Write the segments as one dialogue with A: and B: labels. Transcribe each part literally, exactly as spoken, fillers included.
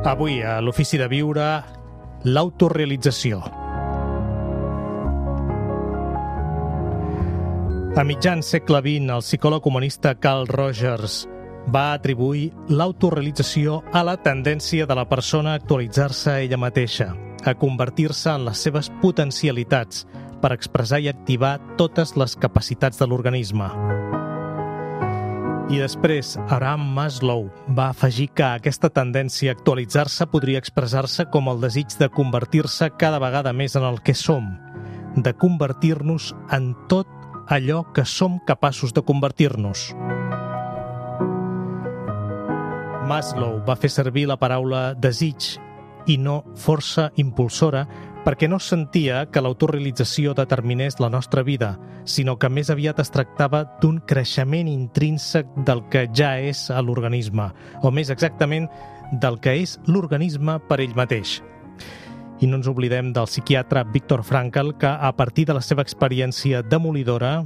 A: Avui, a l'Ofici de Viure, l'autorealització. A mitjan segle vint, el psicòleg humanista Carl Rogers va atribuir l'autorealització a la tendència de la persona a actualitzar-se a ella mateixa, a convertir-se en les seves potencialitats per expressar i activar totes les capacitats de l'organisme. I després, Abraham Maslow va afegir que aquesta tendència a actualitzar-se podria expressar-se com el desig de convertir-se cada vegada més en el que som, de convertir-nos en tot allò que som capaços de convertir-nos. Maslow va fer servir la paraula desig i no força impulsora perquè no sentia que l'autorealització determinés la nostra vida, sinó que més aviat es tractava d'un creixement intrínsec del que ja és a l'organisme, o més exactament del que és l'organisme per ell mateix. I no ens oblidem del psiquiatre Viktor Frankl, que a partir de la seva experiència demolidora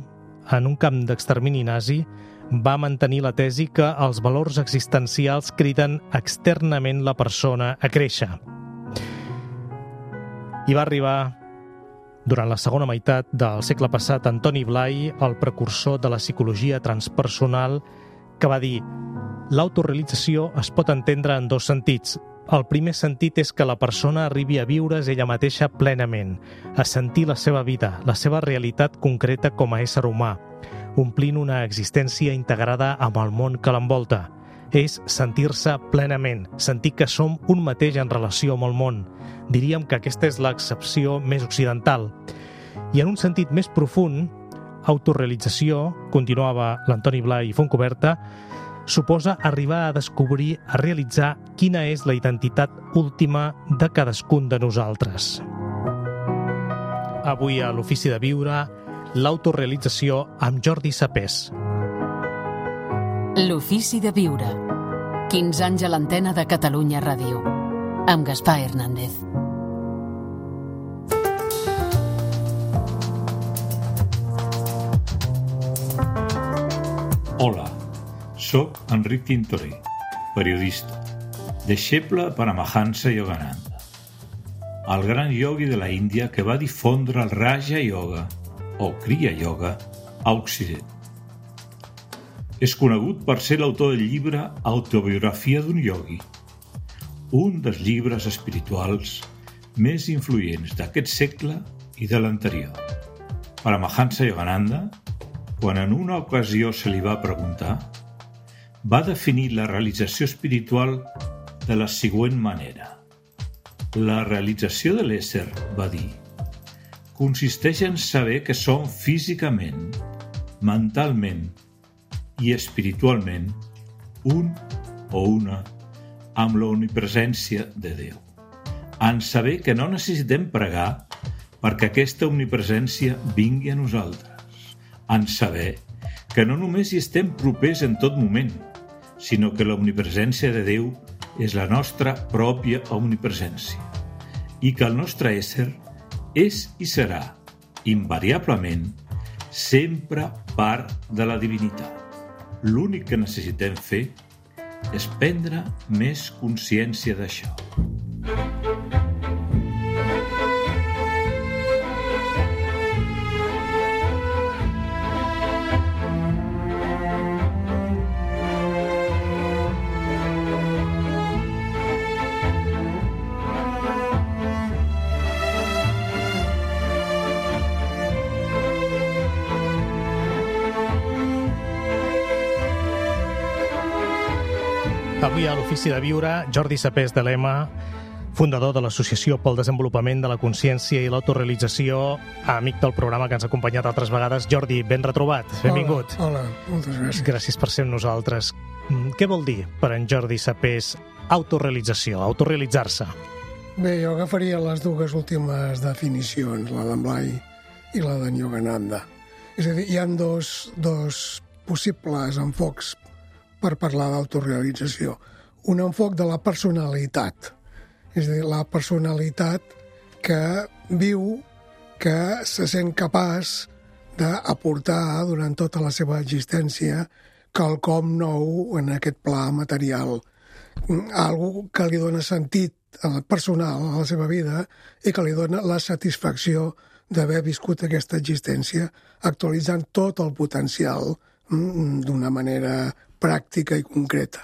A: en un camp d'extermini nazi va mantenir la tesi que els valors existencials criden externament la persona a créixer. I va arribar, durant la segona meitat del segle passat, Antoni Blai, el precursor de la psicologia transpersonal, que va dir: l'autorealització es pot entendre en dos sentits. El primer sentit és que la persona arribi a viure's ella mateixa plenament, a sentir la seva vida, la seva realitat concreta com a ésser humà, omplint una existència integrada amb el món que l'envolta. És sentir-se plenament, sentir que som un mateix en relació amb el món. Diríem que aquesta és l'excepció més occidental. I en un sentit més profund, autorealització, continuava l'Antoni Blai Fontcoberta, suposa arribar a descobrir, a realitzar quina és la identitat última de cadascun de nosaltres. Avui a l'Ofici de Viure, l'autorealització amb Jordi Sapés.
B: L'Ofici de Viure. quinze anys a l'antena de Catalunya Ràdio. Amb Gaspar Hernández.
C: Hola, soc Enric Tintoré, periodista, deixeble Paramahansa Yogananda, el gran iogui de la Índia que va difondre el Raja Yoga, o Kriya Yoga, a Occident. És conegut per ser l'autor del llibre Autobiografia d'un iogui, un dels llibres espirituals més influents d'aquest segle i de l'anterior. Paramahansa Yogananda, quan en una ocasió se li va preguntar, va definir la realització espiritual de la següent manera. La realització de l'ésser, va dir, consisteix en saber que som físicament, mentalment i espiritualment un o una amb l'omnipresència de Déu. En saber que no necessitem pregar perquè aquesta omnipresència vingui a nosaltres. En saber que no només hi estem propers en tot moment, sinó que l'omnipresència de Déu és la nostra pròpia omnipresència i que el nostre ésser és i serà, invariablement, sempre part de la divinitat. L'únic que necessitem fer és prendre més consciència d'això.
A: Avui a l'Ofici de Viure, Jordi Sapés de l'Ema, fundador de l'Associació pel Desenvolupament de la Consciència i l'Autorealització, amic del programa que ens ha acompanyat altres vegades. Jordi, ben retrobat, benvingut.
D: Hola, hola, moltes gràcies.
A: Gràcies per ser amb nosaltres. Què vol dir per en Jordi Sapés autorealització, autorealitzar-se?
D: Bé, jo agafaria les dues últimes definicions, la d'en Blai i la d'en Yogananda. És a dir, hi ha dos, dos possibles enfocs per parlar d'autorealització. Un enfoc de la personalitat, és a dir, la personalitat que viu, que se sent capaç d'aportar durant tota la seva existència quelcom nou en aquest pla material. algú que li dona sentit personal a la seva vida i que li dona la satisfacció d'haver viscut aquesta existència actualitzant tot el potencial d'una manera pràctica i concreta.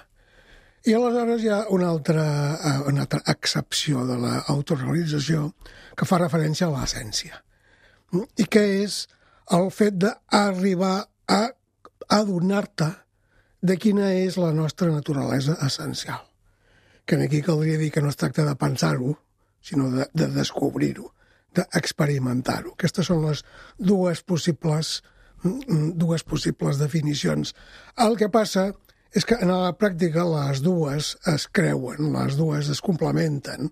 D: I aleshores hi ha una altra, una altra excepció de l'autorealització que fa referència a l'essència, i que és el fet d'arribar a adonar-te de quina és la nostra naturalesa essencial. Que aquí caldria dir que no es tracta de pensar-ho, sinó de, de descobrir-ho, d'experimentar-ho. Aquestes són les dues possibles, dues possibles definicions. El que passa és que en la pràctica les dues es creuen, les dues es complementen,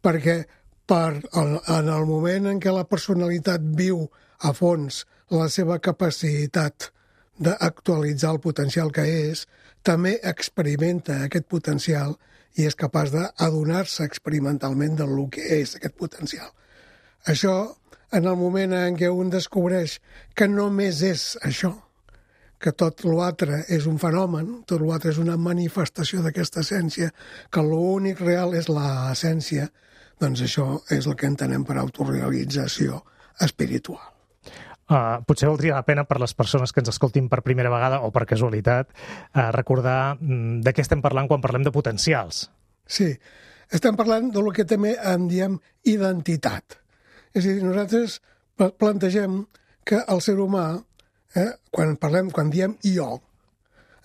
D: perquè per el, en el moment en què la personalitat viu a fons la seva capacitat d'actualitzar el potencial que és, també experimenta aquest potencial i és capaç d'adonar-se experimentalment del que és aquest potencial. Això, en el moment en què un descobreix que només és això, que tot l'altre és un fenomen, tot l'altre és una manifestació d'aquesta essència, que l'únic real és l'essència, doncs això és el que entenem per autorealització espiritual.
A: Uh, potser valdria la pena per les persones que ens escoltin per primera vegada o per casualitat uh, recordar mm, de què estem parlant quan parlem de potencials.
D: Sí, estem parlant del que també en diem identitat. És a dir, nosaltres plantegem que el ser humà, eh, quan parlem, quan diem jo,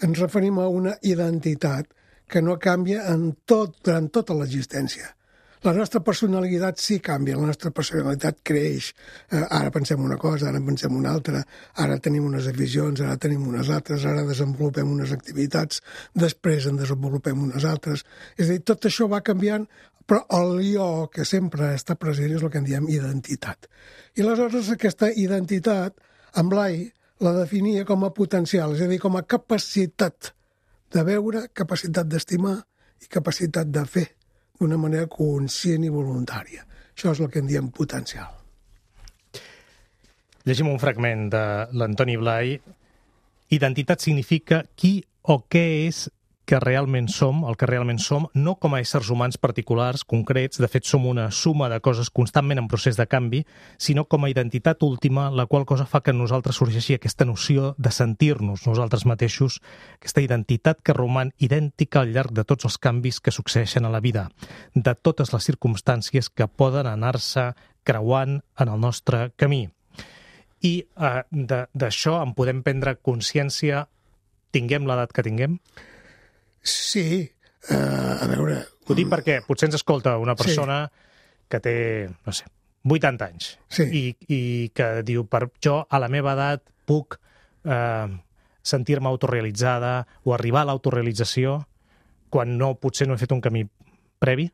D: ens referim a una identitat que no canvia en tot, durant tota l'existència. La nostra personalitat sí canvia, la nostra personalitat creix. Eh, ara pensem una cosa, ara pensem una altra, ara tenim unes aficions, ara tenim unes altres, ara desenvolupem unes activitats, després en desenvolupem unes altres. És a dir, tot això va canviant, però el jo que sempre està present és el que en diem identitat. I aleshores aquesta identitat, en Blai la definia com a potencial, és a dir, com a capacitat de veure, capacitat d'estimar i capacitat de fer d'una manera conscient i voluntària. Això és el que en diem potencial.
A: Llegim un fragment de l'Antoni Blai. Identitat significa qui o què és que realment som, el que realment som, no com a éssers humans particulars, concrets, de fet som una suma de coses constantment en procés de canvi, sinó com a identitat última, la qual cosa fa que en nosaltres sorgeixi aquesta noció de sentir-nos nosaltres mateixos, aquesta identitat que roman idèntica al llarg de tots els canvis que succeeixen a la vida, de totes les circumstàncies que poden anar-se creuant en el nostre camí. I eh, d'això en podem prendre consciència, tinguem l'edat que tinguem?
D: Sí, uh, a veure...
A: Ho dic perquè potser ens escolta una persona sí. que té, no sé, vuitanta anys
D: sí.
A: i, i que diu, per jo a la meva edat puc eh, sentir-me autorealitzada o arribar a l'autorealització quan no, potser no he fet un camí previ?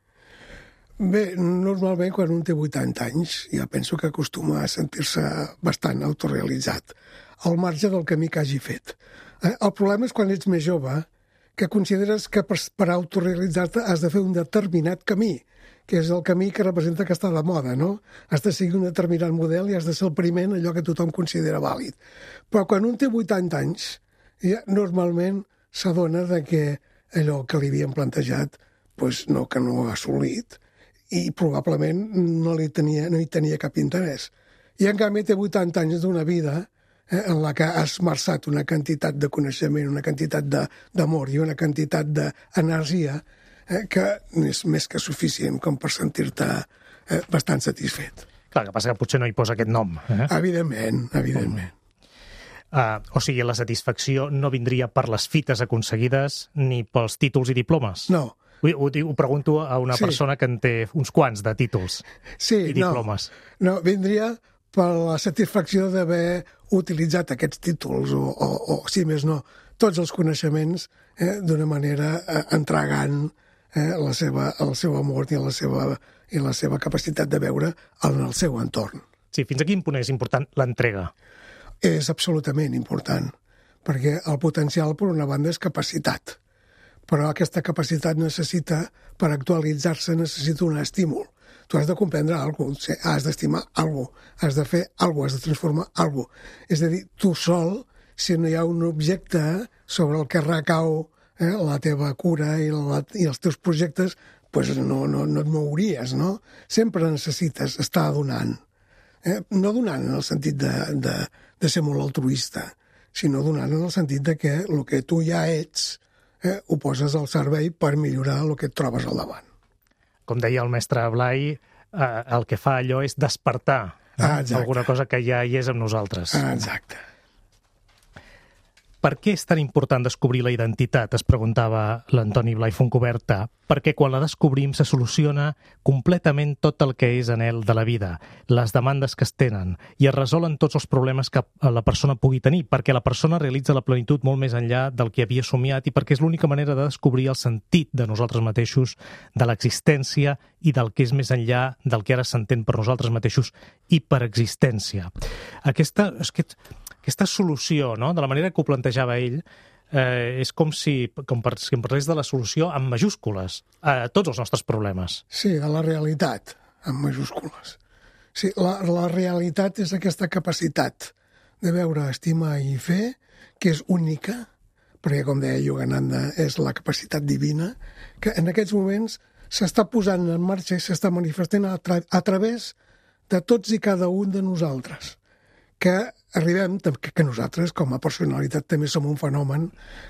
D: Bé, normalment quan un té vuitanta anys ja penso que acostuma a sentir-se bastant autorealitzat, al marge del camí que hagi fet. Eh, el problema és quan ets més jove, que consideres que per, per autorealitzar-te has de fer un determinat camí, que és el camí que representa que està de moda, no? Has de seguir un determinat model i has de ser el primer en allò que tothom considera vàlid. Però quan un té vuitanta anys, ja normalment s'adona de que allò que li havien plantejat doncs no, que no ha assolit i probablement no, li tenia, no hi tenia cap interès. I en canvi té vuitanta anys d'una vida Eh, en la que has esmerçat una quantitat de coneixement, una quantitat d'amor i una quantitat d'energia eh, que és més que suficient com per sentir-te eh, bastant satisfet.
A: Clar, que passa que potser no hi posa aquest nom. Eh?
D: Evidentment, evidentment.
A: Uh, o sigui, la satisfacció no vindria per les fites aconseguides ni pels títols i diplomes?
D: No.
A: Ho, ho, ho pregunto a una
D: sí.
A: persona que en té uns quants de títols
D: sí,
A: i diplomes.
D: No, no vindria per la satisfacció d'haver utilitzat aquests títols o, o, o, si més no, tots els coneixements eh, d'una manera eh, entregant eh, la seva, el seu amor i la seva, i la seva capacitat de veure en el seu entorn.
A: Sí, fins a quin punt és important l'entrega?
D: És absolutament important, perquè el potencial, per una banda, és capacitat. Però aquesta capacitat necessita, per actualitzar-se, necessita un estímul. Tu has de comprendre alguna cosa, has d'estimar alguna cosa, has de fer alguna cosa, has de transformar alguna cosa. És a dir, tu sol, si no hi ha un objecte sobre el que recau eh, la teva cura i, la, i els teus projectes, pues no, no, no et mouries, no? Sempre necessites estar donant. Eh? No donant en el sentit de, de, de ser molt altruista, sinó donant en el sentit de que el que tu ja ets eh, ho poses al servei per millorar el que et trobes al davant.
A: Com deia el mestre Blai, eh, el que fa allò és despertar eh?
D: ah,
A: alguna cosa que ja hi és amb nosaltres.
D: Ah, exacte.
A: Per què és tan important descobrir la identitat? Es preguntava l'Antoni Blai Fontcuberta. Perquè quan la descobrim se soluciona completament tot el que és anhel de la vida, les demandes que es tenen, i es resolen tots els problemes que la persona pugui tenir, perquè la persona realitza la plenitud molt més enllà del que havia somiat i perquè és l'única manera de descobrir el sentit de nosaltres mateixos, de l'existència i del que és més enllà del que ara s'entén per nosaltres mateixos i per existència. Aquesta... És que, Aquesta solució, no?, de la manera que ho plantejava ell, eh, és com si, com per, si em parlés de la solució amb majúscules a tots els nostres problemes.
D: Sí, de la realitat, amb majúscules. Sí, la, la realitat és aquesta capacitat de veure, estimar i fer, que és única, perquè, com deia Yogananda, és la capacitat divina, que en aquests moments s'està posant en marxa i s'està manifestant a, tra a través de tots i cada un de nosaltres, que arribem, que nosaltres com a personalitat també som un fenomen,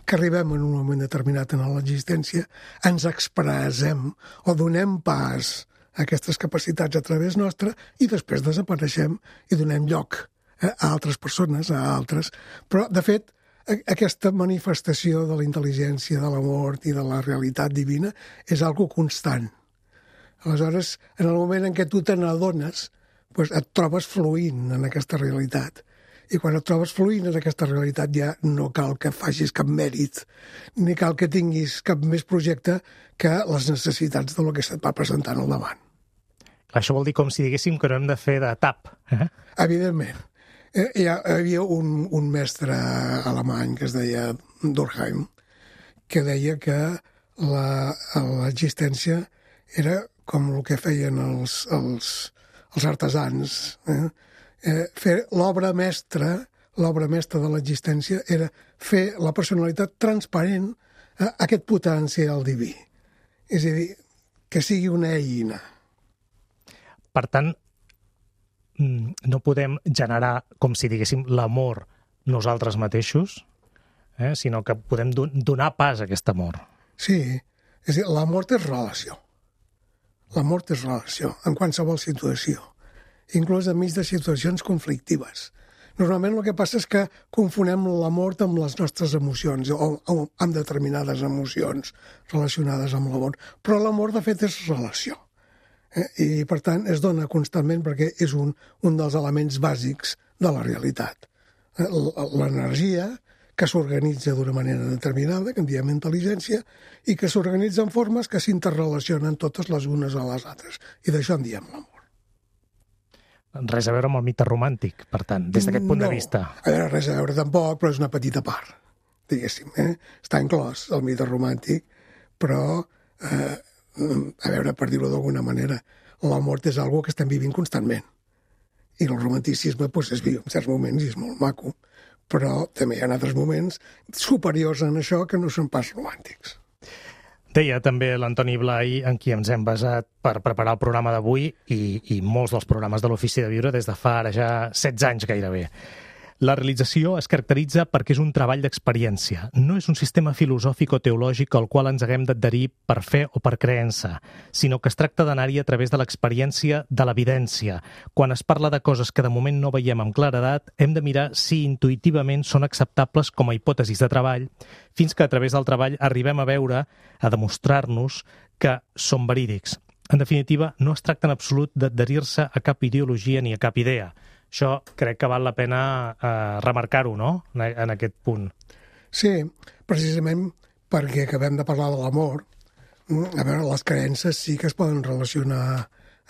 D: que arribem en un moment determinat en l'existència, ens expressem o donem pas a aquestes capacitats a través nostra i després desapareixem i donem lloc a altres persones, a altres. Però, de fet, aquesta manifestació de la intel·ligència, de l'amor i de la realitat divina és algo constant. Aleshores, en el moment en què tu te n'adones, doncs et trobes fluint en aquesta realitat. I quan et trobes fluint en aquesta realitat ja no cal que facis cap mèrit, ni cal que tinguis cap més projecte que les necessitats del que se't va presentant al davant.
A: Això vol dir com si diguéssim que no hem de fer de tap. Eh?
D: Evidentment. Eh, hi havia un, un mestre alemany que es deia Durkheim, que deia que l'existència era com el que feien els... els els artesans, eh? Eh, fer l'obra mestra, l'obra mestra de l'existència era fer la personalitat transparent a aquest potencial diví. És a dir, que sigui una eina.
A: Per tant, no podem generar, com si diguéssim, l'amor nosaltres mateixos, eh? sinó que podem donar pas a aquest amor.
D: Sí, és a dir, l'amor és relació. L'amor és relació, en qualsevol situació, inclús enmig de situacions conflictives. Normalment el que passa és que confonem l'amor amb les nostres emocions, o, o amb determinades emocions relacionades amb l'amor. Però l'amor, de fet, és relació. Eh? I, per tant, es dona constantment perquè és un, un dels elements bàsics de la realitat. Eh? L'energia, que s'organitza d'una manera determinada, que en diem intel·ligència, i que s'organitza en formes que s'interrelacionen totes les unes a les altres. I d'això en diem l'amor.
A: Res a veure amb el mite romàntic, per tant, des d'aquest punt
D: no,
A: de vista.
D: A veure, res a veure tampoc, però és una petita part, diguéssim. Eh? Està inclòs el mite romàntic, però, eh, a veure, per dir-ho d'alguna manera, l'amor és una cosa que estem vivint constantment. I el romanticisme pues, es viu en certs moments i és molt maco, però també hi ha altres moments superiors en això que no són pas romàntics.
A: Deia també l'Antoni Blai, en qui ens hem basat per preparar el programa d'avui i, i molts dels programes de l'Ofici de Viure des de fa ara ja setze anys gairebé. La realització es caracteritza perquè és un treball d'experiència. No és un sistema filosòfic o teològic al qual ens haguem d'adherir per fe o per creença, sinó que es tracta d'anar-hi a través de l'experiència de l'evidència. Quan es parla de coses que de moment no veiem amb claredat, hem de mirar si intuïtivament són acceptables com a hipòtesis de treball, fins que a través del treball arribem a veure, a demostrar-nos que són verídics. En definitiva, no es tracta en absolut d'adherir-se a cap ideologia ni a cap idea. Això crec que val la pena eh, remarcar-ho, no?, en aquest punt.
D: Sí, precisament perquè acabem de parlar de l'amor. A veure, les creences sí que es poden relacionar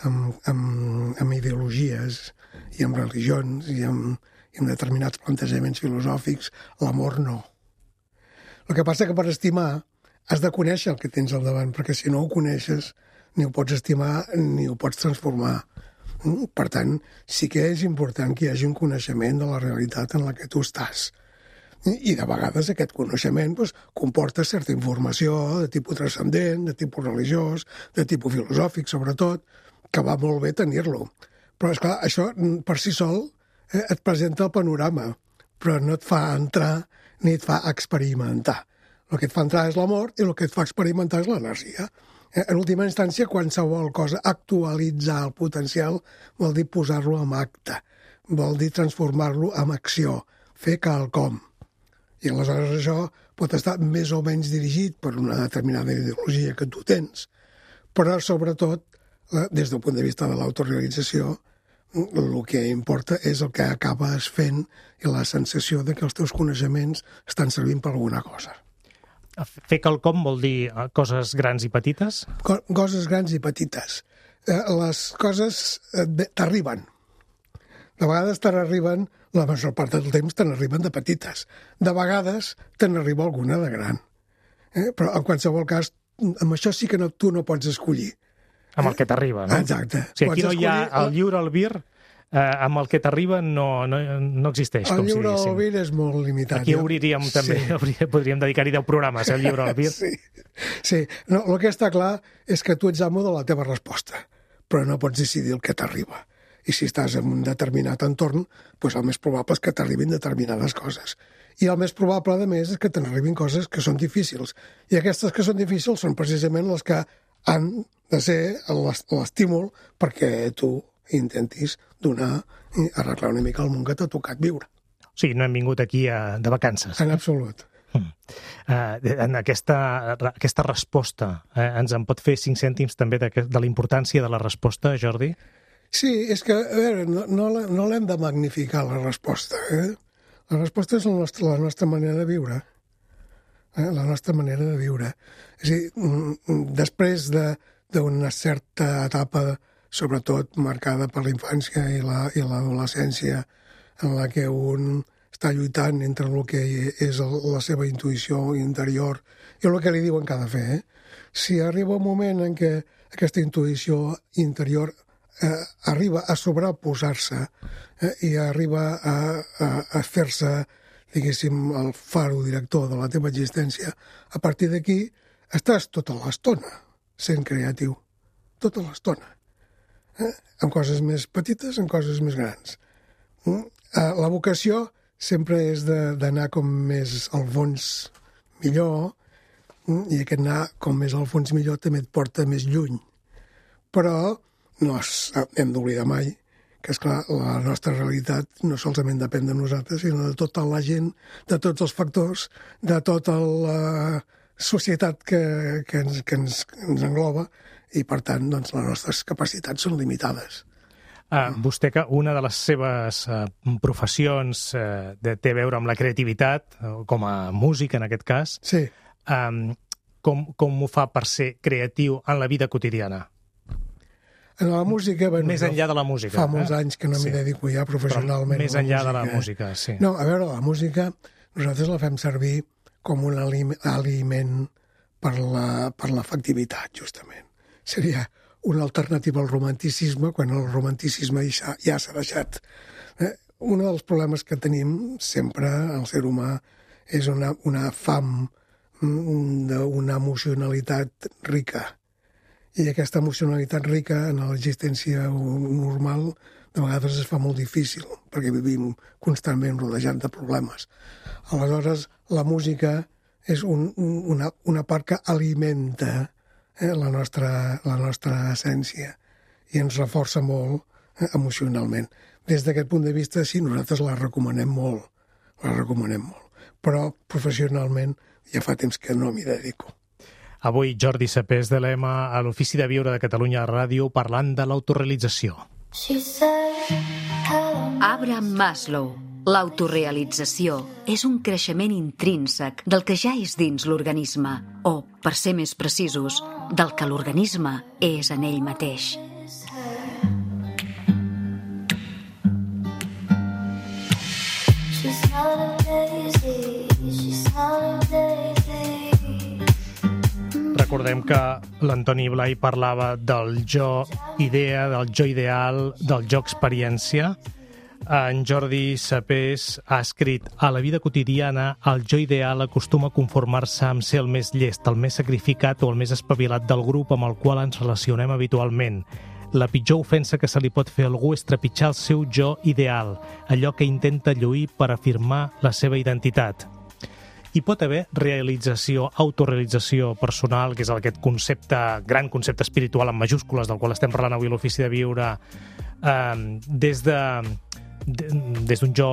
D: amb, amb, amb ideologies i amb religions i amb, i amb determinats plantejaments filosòfics. L'amor no. El que passa que per estimar has de conèixer el que tens al davant, perquè si no ho coneixes ni ho pots estimar ni ho pots transformar. Per tant, sí que és important que hi hagi un coneixement de la realitat en la que tu estàs. I de vegades aquest coneixement doncs, comporta certa informació de tipus transcendent, de tipus religiós, de tipus filosòfic, sobretot, que va molt bé tenir-lo. Però, esclar, això per si sol eh, et presenta el panorama, però no et fa entrar ni et fa experimentar. El que et fa entrar és l'amor i el que et fa experimentar és l'energia. Eh, en última instància, qualsevol cosa, actualitzar el potencial vol dir posar-lo en acte, vol dir transformar-lo en acció, fer quelcom. I aleshores això pot estar més o menys dirigit per una determinada ideologia que tu tens, però sobretot, des del punt de vista de l'autorealització, el que importa és el que acabes fent i la sensació de que els teus coneixements estan servint per alguna cosa.
A: Fer quelcom vol dir coses grans i petites?
D: Co- coses grans i petites. Eh, les coses eh, t'arriben. De vegades te n'arriben, la major part del temps te n'arriben de petites. De vegades te n'arriba alguna de gran. Eh? Però en qualsevol cas, amb això sí que no, tu no pots escollir.
A: Amb el que t'arriba, no?
D: Exacte.
A: O sigui, aquí no hi ha el lliure albir, eh, amb el que t'arriba no, no, no existeix,
D: el
A: com si
D: lliure
A: diguéssim.
D: albir és molt limitat.
A: Aquí obriríem
D: sí.
A: també, podríem dedicar-hi deu programes, eh, el lliure albir.
D: Sí, sí. No, el que està clar és que tu ets amo de la teva resposta, però no pots decidir el que t'arriba. I si estàs en un determinat entorn, doncs el més probable és que t'arribin determinades coses. I el més probable, a més, és que t'arribin coses que són difícils. I aquestes que són difícils són precisament les que han de ser l'estímul perquè tu intentis donar i arreglar una mica el món que t'ha tocat viure.
A: O sigui, no hem vingut aquí a, de vacances.
D: En absolut.
A: Mm. Uh, en aquesta, aquesta resposta, eh, ens en pot fer cinc cèntims també de, de la importància de la resposta, Jordi?
D: Sí, és que, a veure, no, no, no l'hem de magnificar, la resposta. Eh? La resposta és la nostra, la nostra manera de viure. Eh? La nostra manera de viure. És a dir, després d'una certa etapa, sobretot marcada per la infància i la, i l'adolescència, en la que un està lluitant entre el que és el, la seva intuïció interior i el que li diuen que ha de fer. Eh? Si arriba un moment en què aquesta intuïció interior Eh, arriba a sobreposar-se eh, i arriba a, a, a fer-se, diguéssim, el faro director de la teva existència, a partir d'aquí estàs tota l'estona sent creatiu. Tota l'estona. Eh? En coses més petites, en coses més grans. Mm? Eh, la vocació sempre és d'anar com més al fons millor, mm? I aquest anar com més al fons millor també et porta més lluny. Però no hem d'oblidar mai que, esclar, la nostra realitat no solament depèn de nosaltres, sinó de tota la gent, de tots els factors, de tota la societat que, que, ens, que ens, ens engloba, i, per tant, doncs, les nostres capacitats són limitades.
A: Ah, vostè, que una de les seves uh, professions uh, de, té a veure amb la creativitat, com a músic, en aquest cas,
D: sí.
A: um, com, com ho fa per ser creatiu en la vida quotidiana?
D: En la música... Bueno,
A: més enllà de la música.
D: Fa molts
A: eh?
D: anys que no m'hi
A: sí.
D: dedico ja professionalment.
A: Però més enllà
D: la
A: de la música, sí.
D: No, a veure, la música nosaltres la fem servir com un aliment per la, per l'afectivitat, justament. Seria una alternativa al romanticisme, quan el romanticisme ja, ja s'ha deixat. Eh? Un dels problemes que tenim sempre, el ser humà, és una, una fam d'una emocionalitat rica. I aquesta emocionalitat rica en l'existència normal de vegades es fa molt difícil, perquè vivim constantment rodejat de problemes. Aleshores, la música és un, una, una part que alimenta eh, la, nostra, la nostra essència i ens reforça molt eh, emocionalment. Des d'aquest punt de vista, sí, nosaltres la recomanem molt, la recomanem molt. Però professionalment ja fa temps que no m'hi dedico.
A: Avui Jordi Sapés de l'Ema a l'Ofici de Viure de Catalunya Ràdio parlant de l'autorealització.
B: Abraham Maslow. L'autorealització és un creixement intrínsec del que ja és dins l'organisme, o, per ser més precisos, del que l'organisme és en ell mateix. She's not a daisy, she's not a daisy.
A: Recordem que l'Antoni Blai parlava del jo idea, del jo ideal, del jo experiència. En Jordi Sapés ha escrit: a la vida quotidiana, el jo ideal acostuma a conformar-se amb ser el més llest, el més sacrificat o el més espavilat del grup amb el qual ens relacionem habitualment. La pitjor ofensa que se li pot fer a algú és trepitjar el seu jo ideal, allò que intenta lluir per afirmar la seva identitat. Hi pot haver realització, autorealització personal, que és aquest concepte, gran concepte espiritual en majúscules del qual estem parlant avui a l'Ofici de Viure, eh, des de, de des d'un jo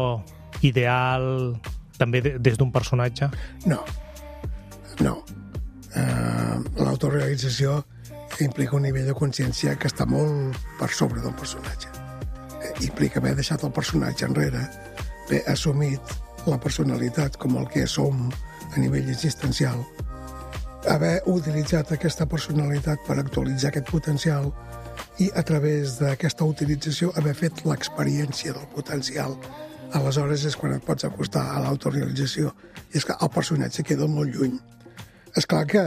A: ideal, també de, des d'un personatge?
D: No, no. Uh, L'autorealització implica un nivell de consciència que està molt per sobre del personatge. Eh, implica haver deixat el personatge enrere, haver assumit la personalitat com el que som a nivell existencial, haver utilitzat aquesta personalitat per actualitzar aquest potencial i a través d'aquesta utilització haver fet l'experiència del potencial. Aleshores és quan et pots acostar a l'autorealització. I és que el personatge queda molt lluny. És clar que,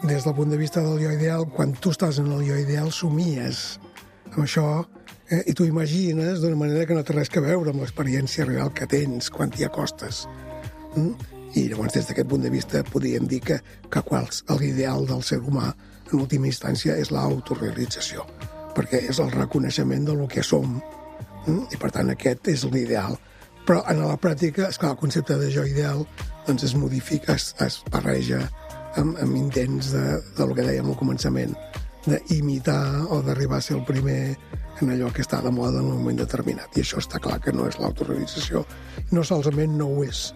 D: des del punt de vista del jo ideal, quan tu estàs en el jo ideal, somies amb això, eh, i t'ho imagines d'una manera que no té res a veure amb l'experiència real que tens quan t'hi acostes. Mm? I llavors, des d'aquest punt de vista, podríem dir que, que quals, l'ideal del ser humà, en última instància, és l'autorealització, perquè és el reconeixement del que som, mm? I per tant aquest és l'ideal. Però en la pràctica, esclar, el concepte de jo ideal doncs es modifica, es, es barreja amb, amb intents de, de lo que dèiem al començament, d'imitar o d'arribar a ser el primer en allò que està de moda en un moment determinat. I això està clar que no és l'autorealització. No solament no ho és,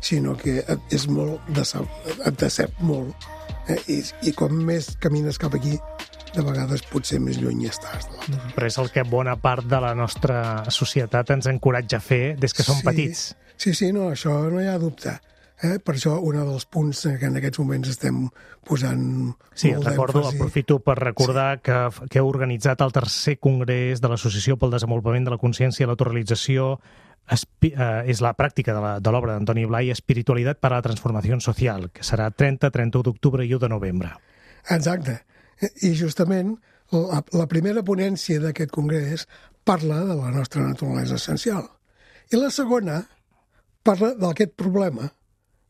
D: sinó que és molt decep, et decep molt. Eh? I, I com més camines cap aquí, de vegades potser més lluny estàs.
A: Però és el que bona part de la nostra societat ens encoratja a fer des que som
D: sí,
A: petits.
D: Sí, sí, no, això no hi ha dubte. Eh? Per això un dels punts que en aquests moments estem posant
A: sí,
D: molt
A: recordo,
D: d'èmfasi.
A: Aprofito per recordar sí. que, que heu organitzat el tercer congrés de l'Associació pel Desenvolupament de la Consciència i l'Autorealització. Espi, eh, és la pràctica de l'obra d'Antoni Blai, Espiritualitat per a la Transformació Social, que serà trenta, trenta-u d'octubre i u de novembre.
D: Exacte. I justament la, la primera ponència d'aquest congrés parla de la nostra naturalesa essencial. I la segona parla d'aquest problema,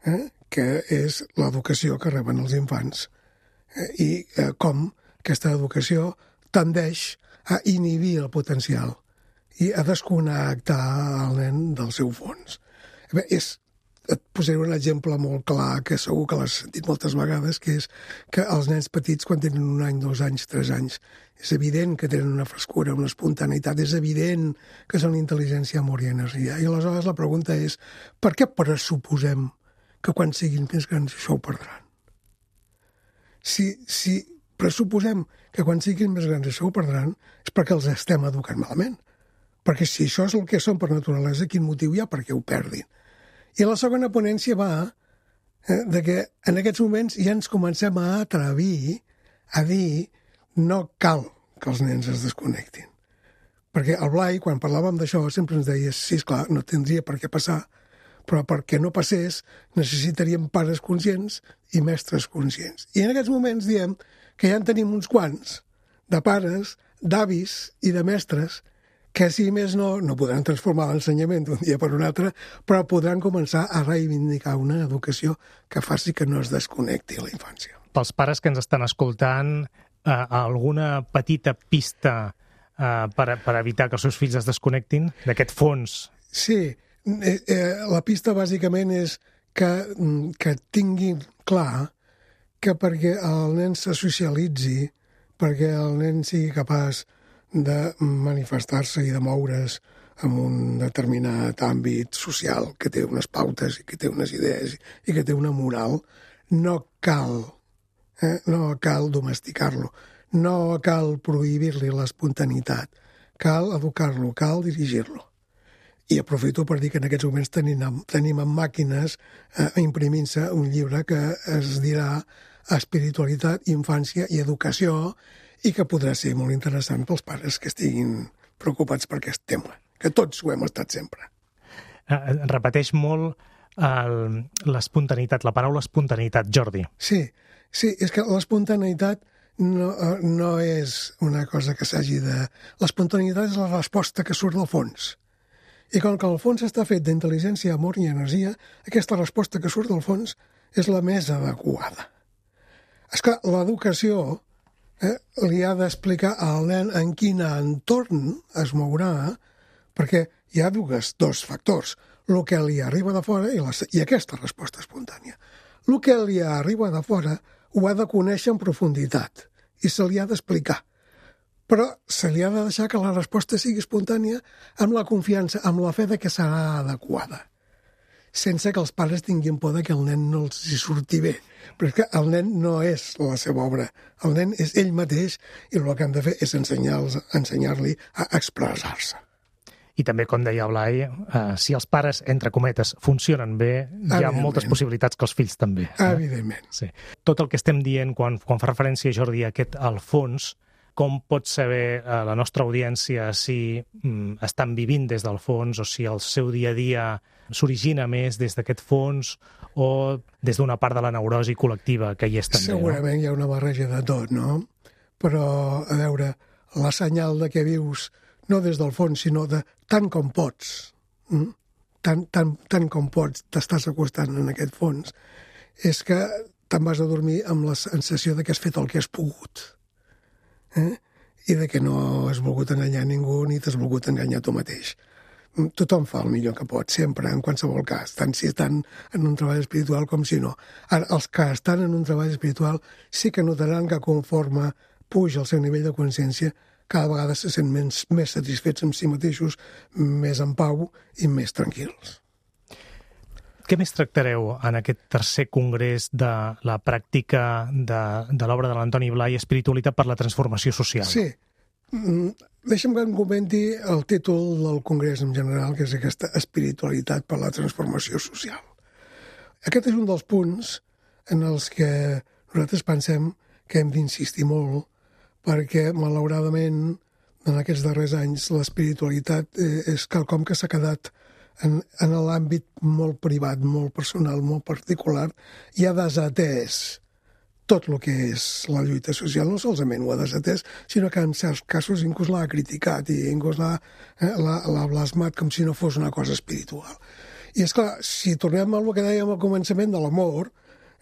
D: eh, que és l'educació que reben els infants eh, i eh, com aquesta educació tendeix a inhibir el potencial i a desconnectar el nen del seu fons. Bé, és, et posaré un exemple molt clar que segur que l'has sentit moltes vegades, que és que els nens petits, quan tenen un any, dos anys, tres anys, és evident que tenen una frescura, una espontaneïtat, és evident que són intel·ligència, amor i energia. I aleshores la pregunta és, per què pressuposem que quan siguin més grans això ho perdran? Si, si pressuposem que quan siguin més grans això ho perdran, és perquè els estem educant malament. Perquè si això és el que són per naturalesa, quin motiu hi ha perquè ho perdin? I la segona ponència va eh, de que en aquests moments ja ens comencem a atrevir a dir no cal que els nens es desconnectin. Perquè el Blai, quan parlàvem d'això, sempre ens deia, sí, esclar, no tindria per què passar, però perquè no passés necessitaríem pares conscients i mestres conscients. I en aquests moments diem que ja en tenim uns quants de pares, d'avis i de mestres que, si més no, no podran transformar l'ensenyament d'un dia per un altre, però podran començar a reivindicar una educació que faci que no es desconnecti la infància.
A: Pels pares que ens estan escoltant, eh, alguna petita pista eh, per, per evitar que els seus fills es desconnectin d'aquest fons?
D: Sí, eh, eh, la pista bàsicament és que, que tinguin clar que perquè el nen se socialitzi, perquè el nen sigui capaç de manifestar-se i de moure's en un determinat àmbit social que té unes pautes i que té unes idees i que té una moral, no cal, eh? no cal domesticar-lo, no cal prohibir-li l'espontaneïtat, cal educar-lo, cal dirigir-lo. I aprofito per dir que en aquests moments tenim, tenim en màquines eh, imprimint-se un llibre que es dirà Espiritualitat, Infància i Educació, i que podrà ser molt interessant pels pares que estiguin preocupats per aquest tema, que tots ho hem estat sempre.
A: Eh, repeteix molt l'espontaneïtat, la paraula espontaneïtat, Jordi.
D: Sí, sí, és que l'espontaneïtat no, no és una cosa que s'hagi de... L'espontaneïtat és la resposta que surt del fons. I com que el fons està fet d'intel·ligència, amor i energia, aquesta resposta que surt del fons és la més adequada. És que l'educació eh, li ha d'explicar al nen en quin entorn es mourà, perquè hi ha dues, dos factors, el que li arriba de fora i, la, i aquesta resposta espontània. El que li arriba de fora ho ha de conèixer en profunditat i se li ha d'explicar. Però se li ha de deixar que la resposta sigui espontània amb la confiança, amb la fe de que serà adequada, sense que els pares tinguin por de que el nen no els hi surti bé. Però és que el nen no és la seva obra, el nen és ell mateix i el que han de fer és ensenyar-li ensenyar a expressar-se.
A: I també, com deia Blai, eh, si els pares, entre cometes, funcionen bé, hi ha moltes possibilitats que els fills també.
D: Eh? Evidentment.
A: Sí. Tot el que estem dient quan, quan fa referència, Jordi, a aquest al fons, com pot saber eh, la nostra audiència si mm, estan vivint des del fons o si el seu dia a dia s'origina més des d'aquest fons o des d'una part de la neurosi col·lectiva que hi és també?
D: Segurament no? Hi ha una barreja de tot, no? Però, a veure, la senyal de que vius no des del fons, sinó de tant com pots, mm? tant, tant, tant com pots, t'estàs acostant en aquest fons, és que te'n vas a dormir amb la sensació de que has fet el que has pogut. Eh? I de que no has volgut enganyar ningú ni t'has volgut enganyar tu mateix. Tothom fa el millor que pot, sempre, en qualsevol cas, tant si estan en un treball espiritual com si no. Ara, els que estan en un treball espiritual sí que notaran que conforme puja el seu nivell de consciència, cada vegada se sent més, més satisfets amb si mateixos, més en pau i més tranquils.
A: Què més tractareu en aquest tercer congrés de la pràctica de, de l'obra de l'Antoni Blai, Espiritualitat per la transformació social?
D: Sí. Deixa'm que em comenti el títol del congrés en general, que és aquesta espiritualitat per la transformació social. Aquest és un dels punts en els que nosaltres pensem que hem d'insistir molt, perquè, malauradament, en aquests darrers anys, l'espiritualitat és quelcom que s'ha quedat en, en l'àmbit molt privat, molt personal, molt particular, i ha desatès tot el que és la lluita social. No solament ho ha desatès, sinó que en certs casos inclús l'ha criticat i inclús l'ha, eh, l'ha blasmat com si no fos una cosa espiritual. I és clar, si tornem al que dèiem al començament de l'amor,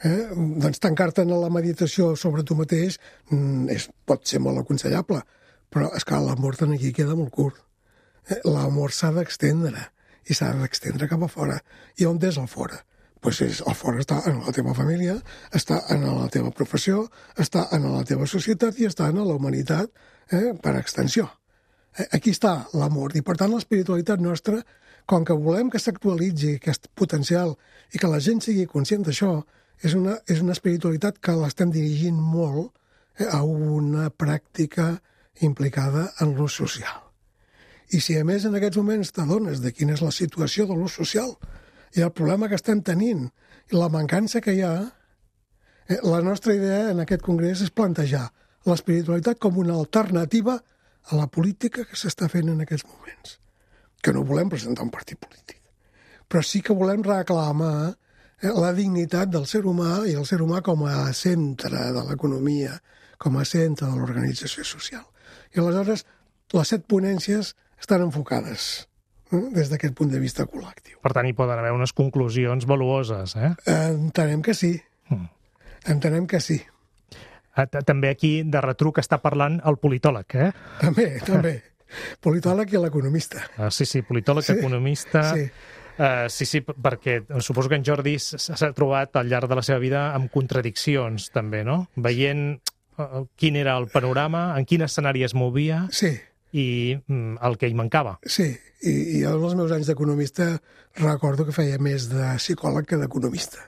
D: eh, doncs tancar-te en la meditació sobre tu mateix és, pot ser molt aconsellable, però és que l'amor tant aquí queda molt curt. Eh, l'amor s'ha d'extendre, i s'ha d'extendre cap a fora. I on és el fora? Pues és, el fora està en la teva família, està en la teva professió, està en la teva societat i està en la humanitat eh, per extensió. Eh, aquí està l'amor. I, per tant, l'espiritualitat nostra, com que volem que s'actualitzi aquest potencial i que la gent sigui conscient d'això, és una, és una espiritualitat que l'estem dirigint molt eh, a una pràctica implicada en l'ús social. I si a més en aquests moments t'adones de quina és la situació de l'ús social i el problema que estem tenint i la mancança que hi ha, eh, la nostra idea en aquest congrés és plantejar l'espiritualitat com una alternativa a la política que s'està fent en aquests moments. Que no volem presentar un partit polític, però sí que volem reclamar eh, la dignitat del ser humà i el ser humà com a centre de l'economia, com a centre de l'organització social. I aleshores les set ponències estan enfocades eh, des d'aquest punt de vista col·lectiu.
A: Per tant, hi poden haver unes conclusions valuoses, eh?
D: Entenem que sí. Mm. Entenem que sí.
A: També aquí de retruc està parlant el politòleg, eh?
D: També, també. Politòleg i l'economista.
A: Ah, sí, sí, politòleg, sí, economista...
D: Sí.
A: Uh, sí, sí, perquè suposo que en Jordi s'ha trobat al llarg de la seva vida amb contradiccions, també, no? Veient uh, quin era el panorama, en quin escenari es movia...
D: Sí.
A: I el que hi mancava.
D: Sí, i, i en els meus anys d'economista recordo que feia més de psicòleg que d'economista,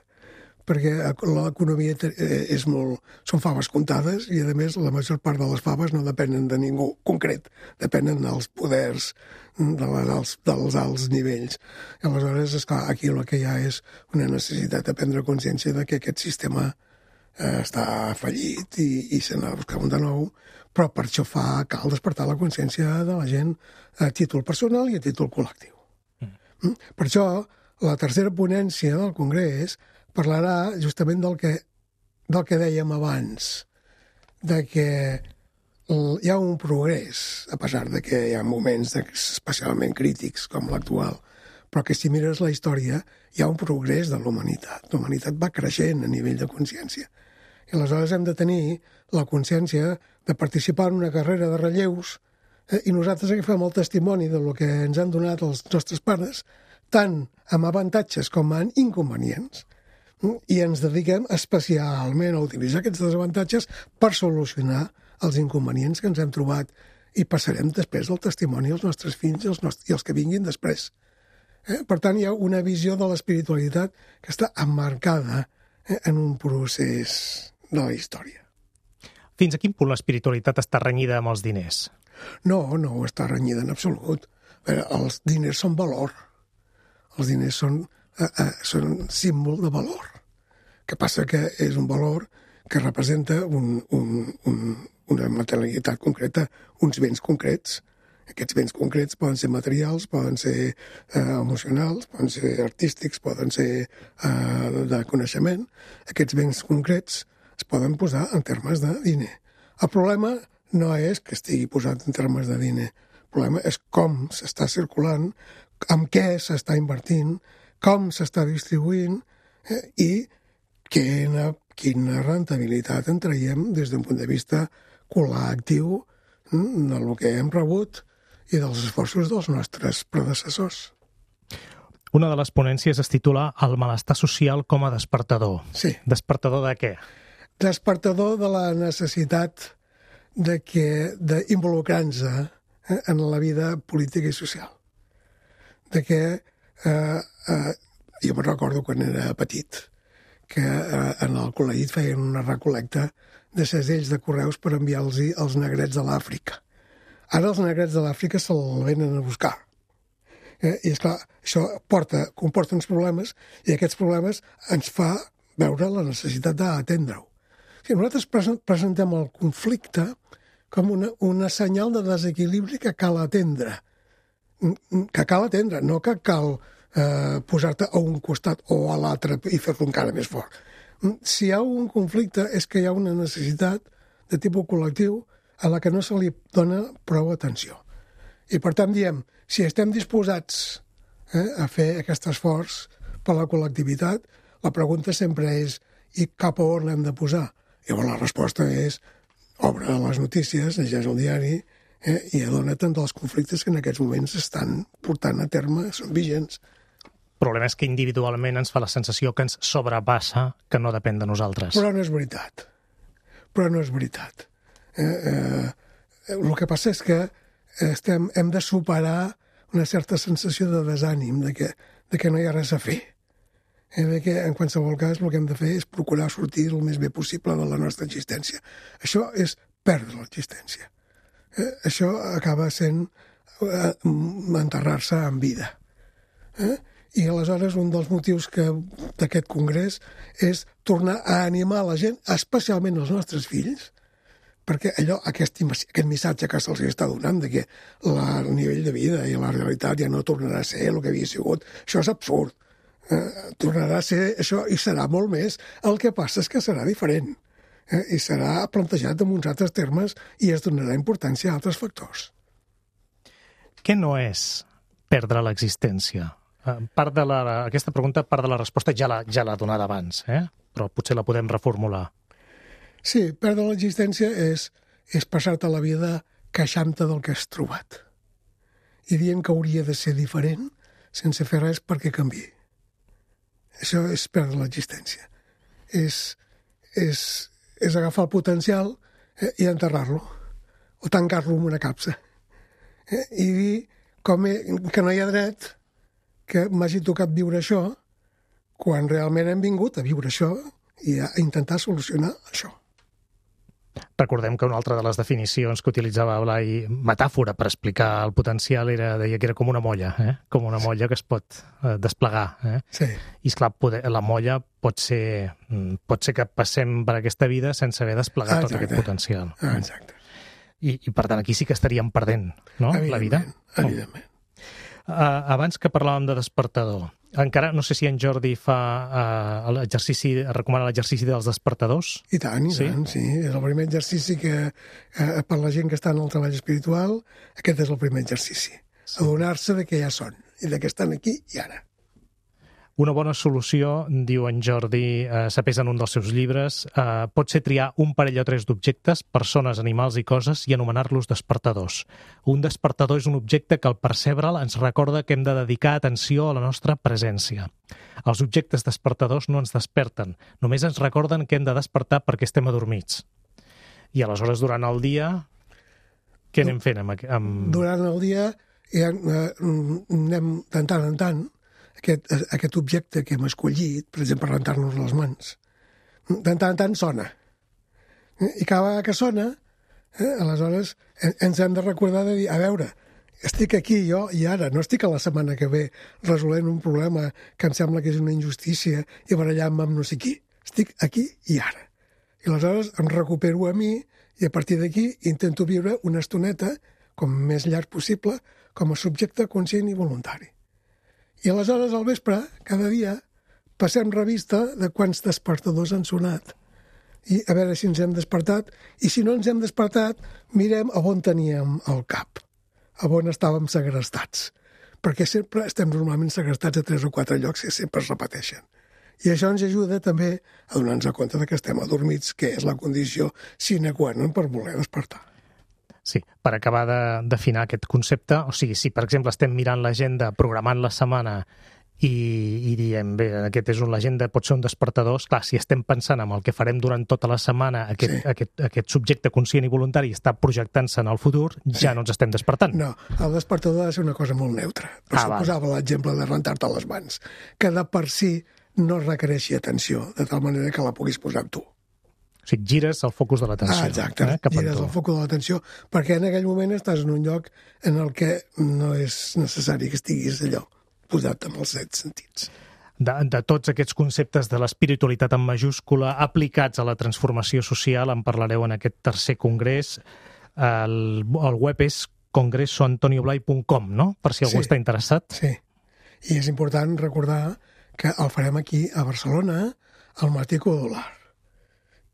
D: perquè l'economia és molt... són faves comptades i, a més, la major part de les faves no depenen de ningú concret, depenen dels poders de la, dels, dels alts nivells. I aleshores, esclar, aquí el que hi ha és una necessitat de prendre consciència de que aquest sistema eh, està fallit i, i se n'ha de buscar un de nou, però per això fa, cal despertar la consciència de la gent a títol personal i a títol col·lectiu. Mm. Per això, la tercera ponència del Congrés parlarà justament del que, del que dèiem abans, de que hi ha un progrés, a pesar de que hi ha moments especialment crítics com l'actual, però que si mires la història hi ha un progrés de la humanitat. La humanitat va creixent a nivell de consciència. I aleshores hem de tenir la consciència de participar en una carrera de relleus eh, i nosaltres agafem el testimoni del que ens han donat els nostres pares, tant amb avantatges com amb inconvenients, i ens dediquem especialment a utilitzar aquests desavantatges per solucionar els inconvenients que ens hem trobat i passarem després el testimoni als nostres fills i als, nostres, i els que vinguin després. Eh? Per tant, hi ha una visió de l'espiritualitat que està emmarcada eh, en un procés de la història.
A: Fins a quin punt l'espiritualitat està renyida amb els diners?
D: No, no ho està renyida en absolut. Veure, els diners són valor. Els diners són, eh, eh, són un símbol de valor. Que passa que és un valor que representa un, un, un, una materialitat concreta, uns béns concrets. Aquests béns concrets poden ser materials, poden ser eh, emocionals, poden ser artístics, poden ser eh, de coneixement. Aquests béns concrets es poden posar en termes de diner. El problema no és que estigui posat en termes de diner. El problema és com s'està circulant, amb què s'està invertint, com s'està distribuint eh, i quina, quina rentabilitat en traiem des d'un punt de vista col·lectiu del que hem rebut i dels esforços dels nostres predecessors.
A: Una de les ponències es titula El malestar social com a despertador.
D: Sí.
A: Despertador de què?
D: Despertador de la necessitat de que d'involucrar-nos eh, en la vida política i social. De que eh, eh, jo me'n recordo quan era petit que eh, en el col·legi feien una recolecta de segells de correus per enviar-los als negrets de l'Àfrica. Ara els negrets de l'Àfrica se'l venen a buscar. Eh? I, esclar, això porta, comporta uns problemes i aquests problemes ens fa veure la necessitat d'atendre-ho. Si nosaltres presentem el conflicte com una, una senyal de desequilibri que cal atendre. Que cal atendre, no que cal eh, posar-te a un costat o a l'altre i fer-lo encara més fort. Si hi ha un conflicte és que hi ha una necessitat de tipus col·lectiu a la que no se li dona prou atenció. I per tant diem, si estem disposats eh, a fer aquest esforç per la col·lectivitat, la pregunta sempre és i cap a on l'hem de posar? Llavors la resposta és obre les notícies, llegeix el diari eh, i adona't dels conflictes que en aquests moments estan portant a terme, són vigents.
A: El problema és que individualment ens fa la sensació que ens sobrepassa, que no depèn de nosaltres.
D: Però no és veritat. Però no és veritat. Eh, eh, el que passa és que estem, hem de superar una certa sensació de desànim, de que, de que no hi ha res a fer. Eh, de que en qualsevol cas el que hem de fer és procurar sortir el més bé possible de la nostra existència. Això és perdre l'existència. Eh, això acaba sent eh, enterrar-se en vida. Eh? I aleshores un dels motius que d'aquest congrés és tornar a animar la gent, especialment els nostres fills, perquè allò, aquest, aquest missatge que se'ls està donant de que la, el nivell de vida i la realitat ja no tornarà a ser el que havia sigut, això és absurd. Eh, tornarà a ser això i serà molt més. El que passa és que serà diferent eh, i serà plantejat en uns altres termes i es donarà importància a altres factors.
A: Què no és perdre l'existència? Part de la, aquesta pregunta, part de la resposta ja l'ha ja l'ha donada abans, eh? Però potser la podem reformular.
D: Sí, perdre l'existència és, és passar-te la vida queixant-te del que has trobat i dient que hauria de ser diferent sense fer res perquè canviï. Això és perdre l'existència. És, és, és agafar el potencial eh, i enterrar-lo o tancar-lo en una capsa eh, i dir com he, que no hi ha dret que m'hagi tocat viure això quan realment hem vingut a viure això i a intentar solucionar això.
A: Recordem que una altra de les definicions que utilitzava Blai, metàfora per explicar el potencial, era, deia que era com una molla, eh? Com una molla que es pot eh, desplegar. Eh?
D: Sí.
A: I esclar, poder, la molla pot ser, pot ser que passem per aquesta vida sense haver desplegat Exacte. Tot aquest potencial.
D: Exacte.
A: I, I per tant aquí sí que estaríem perdent, no? La vida.
D: Evidentment.
A: Uh, abans que parlàvem de despertador, Encara no sé si en Jordi fa uh, l'exercici, recomana l'exercici dels despertadors.
D: I tant, i
A: sí?
D: tant, sí. És el primer exercici que, eh, per la gent que està en el treball espiritual, aquest és el primer exercici. Sí. Adonar-se de que ja són, i de que estan aquí i ara.
A: Una bona solució, diu en Jordi eh, Sapés en un dels seus llibres, eh, pot ser triar un parell o tres d'objectes, persones, animals i coses, i anomenar-los despertadors. Un despertador és un objecte que al percebre'l ens recorda que hem de dedicar atenció a la nostra presència. Els objectes despertadors no ens desperten, només ens recorden que hem de despertar perquè estem adormits. I aleshores, durant el dia, què anem fent amb... amb...
D: Durant el dia ja, eh, anem de tant en tant Aquest, aquest objecte que hem escollit, per exemple, rentar-nos les mans, de tant en tant sona. I cada vegada que sona, eh, aleshores ens hem de recordar de dir, a veure, estic aquí jo i ara, no estic a la setmana que ve resolent un problema que em sembla que és una injustícia i barallant-me amb no sé qui. Estic aquí i ara. I aleshores em recupero a mi i a partir d'aquí intento viure una estoneta, com més llarg possible, com a subjecte conscient i voluntari. I aleshores, al vespre, cada dia, passem revista de quants despertadors han sonat. I a veure si ens hem despertat. I si no ens hem despertat, mirem a on teníem el cap, a on estàvem segrestats. Perquè sempre estem normalment segrestats a tres o quatre llocs que sempre es repeteixen. I això ens ajuda també a donar-nos compte que estem adormits, que és la condició sine qua non per voler despertar.
A: Sí, per acabar de definir aquest concepte, o sigui, si per exemple estem mirant l'agenda, programant la setmana i, i diem, bé, aquest és un, l'agenda pot ser un despertador, clar, si estem pensant en el que farem durant tota la setmana, aquest, sí. aquest, aquest subjecte conscient i voluntari està projectant-se en el futur, sí. ja no ens estem despertant.
D: No, el despertador ha de ser una cosa molt neutra. Per ah, això posava l'exemple de rentar-te les mans, que de per si no requereixi atenció, de tal manera que la puguis posar amb tu.
A: O sigui, gires el focus de l'atenció.
D: Ah, exacte,
A: eh,
D: gires el focus de l'atenció, perquè en aquell moment estàs en un lloc en el que no és necessari que estiguis allò posat amb els set sentits.
A: De, de tots aquests conceptes de l'espiritualitat en majúscula aplicats a la transformació social en parlareu en aquest tercer congrés. El, el web és congreso antonio blay punt com, no? Per si algú
D: sí,
A: està interessat.
D: Sí, i és important recordar que el farem aquí a Barcelona, al Martí Codolar,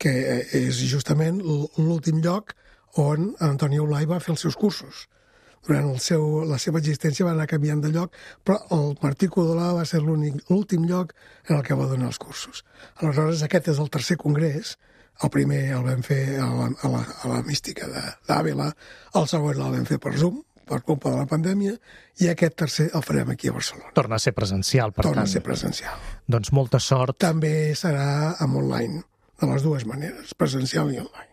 D: que és justament l'últim lloc on Antonio Blay va fer els seus cursos. Durant el seu, la seva existència va anar canviant de lloc, però el Martí Codolar va ser l'últim lloc en el que va donar els cursos. Aleshores, aquest és el tercer congrés. El primer el vam fer a la, a la, a la mística d'Àvila, el segon el vam fer per Zoom, per culpa de la pandèmia, i aquest tercer el farem aquí a Barcelona.
A: Torna a ser presencial, per
D: Torna
A: tant.
D: Torna a ser presencial.
A: Doncs molta sort.
D: També serà amb online, de les dues maneres, presencial i online.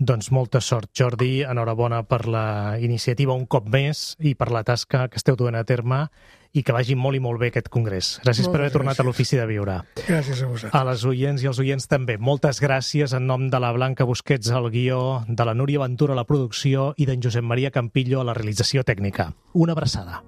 A: Doncs molta sort, Jordi. Enhorabona per la iniciativa un cop més i per la tasca que esteu duent a terme i que vagi molt i molt bé aquest congrés. Gràcies Moltes per haver gràcies. tornat a l'Ofici de Viure.
D: Gràcies a vosaltres.
A: A les oients i als oients també. Moltes gràcies en nom de la Blanca Busquets al guió, de la Núria Ventura a la producció i d'en Josep Maria Campillo a la realització tècnica. Una abraçada.